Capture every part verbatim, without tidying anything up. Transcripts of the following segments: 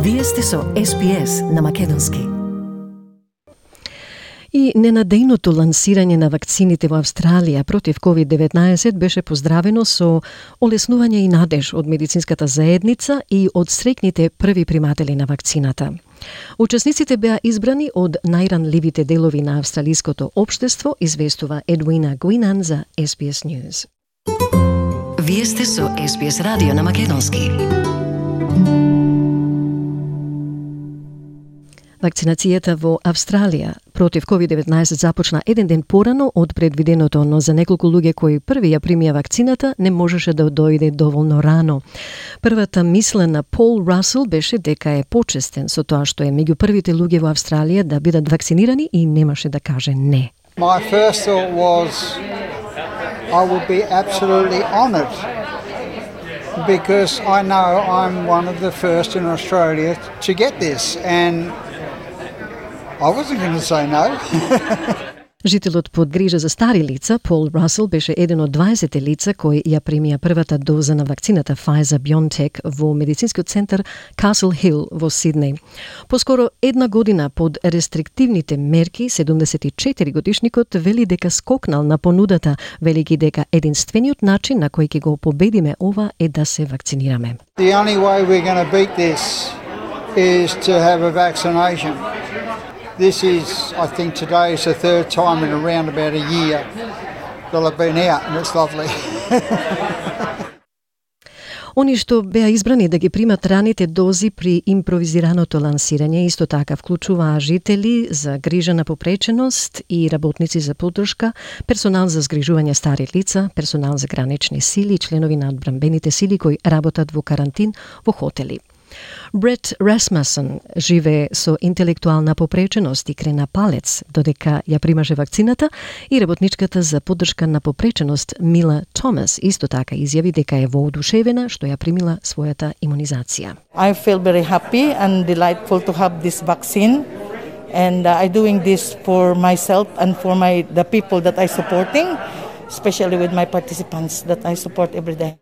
Вие сте со Ес Би Ес на македонски. И ненадејното лансирање на вакцините во Австралија против ковид деветнаесет беше поздравено со олеснување и надеж од медицинската заедница и од среќните први приматели на вакцината. Учесниците беа избрани од најранливите делови на австралиското општество, известува Едвина Гуинан за Ес Би Ес News. Вие сте со Ес Би Ес радио на македонски. Вакцинацијата во Австралија против ковид деветнаесет започна еден ден порано од предвиденото, но за неколку луѓе кои први ја примија вакцината не можеше да дојде доволно рано. Првата мисла на Пол Расел беше дека е почестен со тоа што е меѓу првите луѓе во Австралија да бидат вакцинирани и немаше да каже не. My first thought was I would be absolutely honoured because I know I'm one of the first in Australia to get this, and I wasn't going to say no. Жителот под грижа за стари лица, Пол Расел, беше еден од дваесет лица кои ја примија првата доза на вакцината Pfizer-BioNTech во медицинскиот центар Castle Hill во Сиднеј. Поскоро една година под рестриктивните мерки, седумдесет и четири годишникот вели дека скокнал на понудата, велики дека единствениот начин на кој ќе го победиме ова е да се вакцинираме. The only way we're going to beat this is to have a vaccination. This is, I think today is the third time in around about a year that I've been out, and it's lovely. Они што беа избрани да ги примат раните дози при импровизираното лансирање исто така вклучуваа жители за грижа на попреченост и работници за поддршка, персонал за згрижување стари лица, персонал за гранични сили и членови на одбранбените сили кои работат во карантин во хотели. Брет Расмусен живее со интелектуална попреченост и крена палец додека ја примаше вакцината, и работничката за поддршка на попреченост Мила Томас исто така изјави дека е воодушевена што ја примила својата имунизација. I feel very happy and delightful to have this vaccine, and uh, I'm doing this for myself and for my the people that I supporting, especially with my participants that I support every day.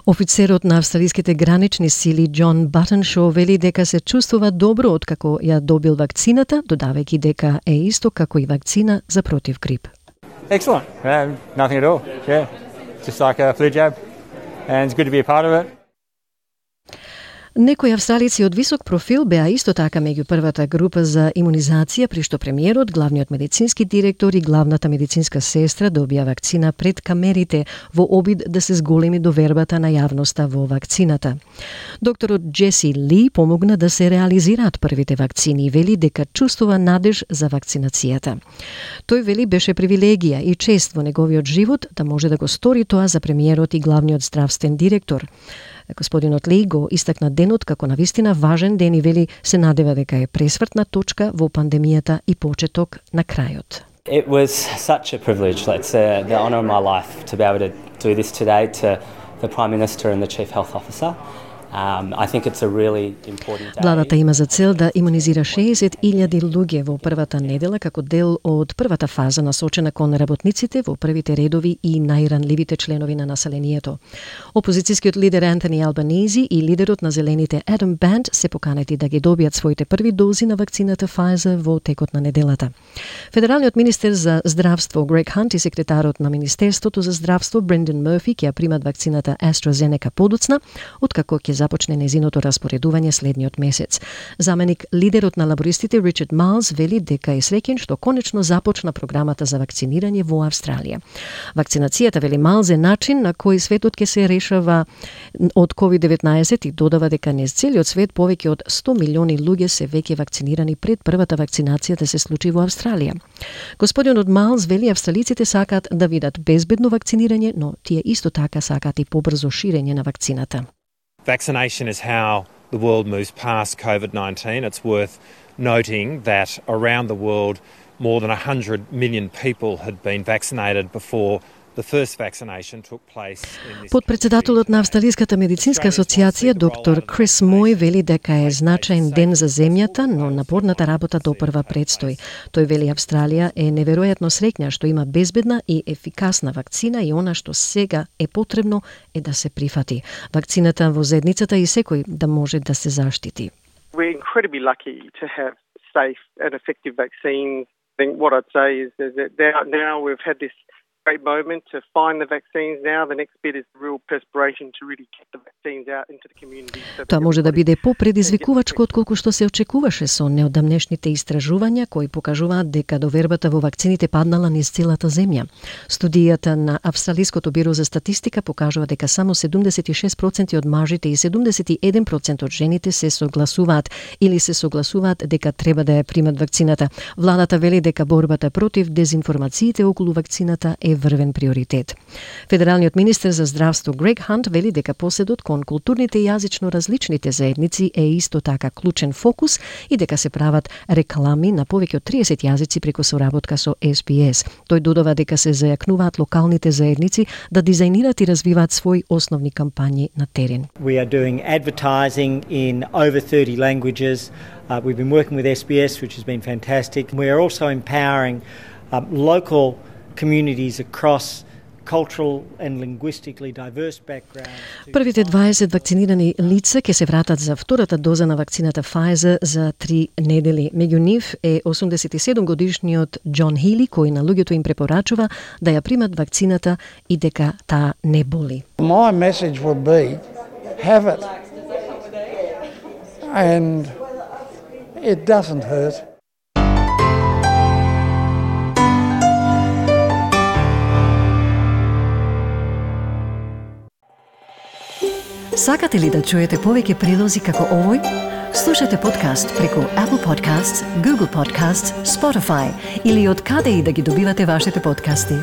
Офицерот на австралиските гранични сили Џон Батеншо вели дека се чувствува добро откако ја добил вакцината, додавајќи дека е исто како и вакцина за против грип. Excellent. Um, nothing at all. Yeah. Just like a flu jab. And it's good to be a part of it. Некои австралици од висок профил беа исто така меѓу првата група за имунизација, при што премиерот, главниот медицински директор и главната медицинска сестра добија вакцина пред камерите во обид да се зголеми довербата на јавноста во вакцината. Докторот Джеси Ли помогна да се реализираат првите вакцини и вели дека чувствува надеж за вакцинацијата. Тој вели беше привилегија и чест во неговиот живот да може да го стори тоа за премиерот и главниот здравствен директор. Господинот Ли го истакна денот како навистина важен ден и вели се надева дека е пресвртна точка во пандемијата и почеток на крајот. It was such a privilege. It's uh, the honour of my life to be able to do this today to the Prime Minister and the Chief Health Officer. Um, I think it's a really important day. Владата има за цел да имунизира шеесет илјади луѓе во првата недела како дел од првата фаза насочена кон работниците во првите редови и најранливите членови на населението. Опозицијскиот лидер Антони Албанизи и лидерот на Зелените Адам Банд се поканети да ги добијат своите први дози на вакцината Pfizer во текот на неделата. Федералниот министер за здравство Грег Хант и секретарот на Министерството за здравство Брендан Мърфи ќе ја примат вакцината AstraZeneca подоцна, откако ќе започне незиното распоредување следниот месец. Заменик лидерот на лабористите Ричард Малс вели дека е среќен што конечно започна програмата за вакцинирање во Австралија. Вакцинацијата, вели Малс, е начин на кој светот ќе се решава од ковид деветнаесет и додава дека низ целиот свет повеќе од сто милиони луѓе се веќе вакцинирани пред првата вакцинација да се случи во Австралија. Господинот Малс вели австралиците сакаат да видат безбедно вакцинирање, но тие исто така сакаат и побрзо ширење на вакцината. Vaccination is how the world moves past COVID nineteen. It's worth noting that around the world more than one hundred million people had been vaccinated before The first vaccination took place in this Подпредседателот на Австралиската медицинска асоциација доктор Крис Мој вели дека е значаен ден за земјата, но напорната работа допрва предстои. Тој вели Австралија е неверојатно среќна што има безбедна и ефикасна вакцина и она што сега е потребно е да се прифати. Вакцината во зедницата и секој да може да се заштити. We're incredibly lucky to have safe and effective vaccines. I think what I'd say is, is that now, now we've had this great moment to find the vaccines now. The next bit is the real perspiration to really get the vaccines out into the community. Тоа може да биде попредизвикувачко отколку што се очекуваше со неодамнешните истражувања кои покажуваат дека довербата во вакцините паднала низ целата земја. Студијата на Австралиското биро за статистика покажува дека само седумдесет и шест проценти од мажите и седумдесет и еден процент од жените се согласуваат или се согласуваат дека треба да ја примат вакцината. Владата вели дека борбата против дезинформациите околу вакцината е врвен приоритет. Федералниот министер за здравство Грег Хант вели дека поседот кон културните и јазично различните заедници е исто така клучен фокус и дека се прават реклами на повеќе од триесет јазици преку соработка со Ес Би Ес. Тој додава дека се зајакнуваат локалните заедници да дизајнират и развиваат своји основни кампањи на терен. We are doing advertising in over thirty languages. Uh, we've been working with Ес Би Ес, which has been fantastic. We are also empowering um, local communities across cultural and linguistically diverse backgrounds. Првите дваесет вакцинирани лица ќе се вратат за втората доза на вакцината Pfizer за три недели. Меѓу нив е осумдесет и седум годишниот Џон Хили, кој на луѓето им препорачува да ја примат вакцината и дека таа не боли. My message would be, have it. And it doesn't hurt. Сакате ли да чуете повеќе прилози како овој? Слушате подкаст преку Apple Podcasts, Google Podcasts, Spotify или од каде и да ги добивате вашите подкасти.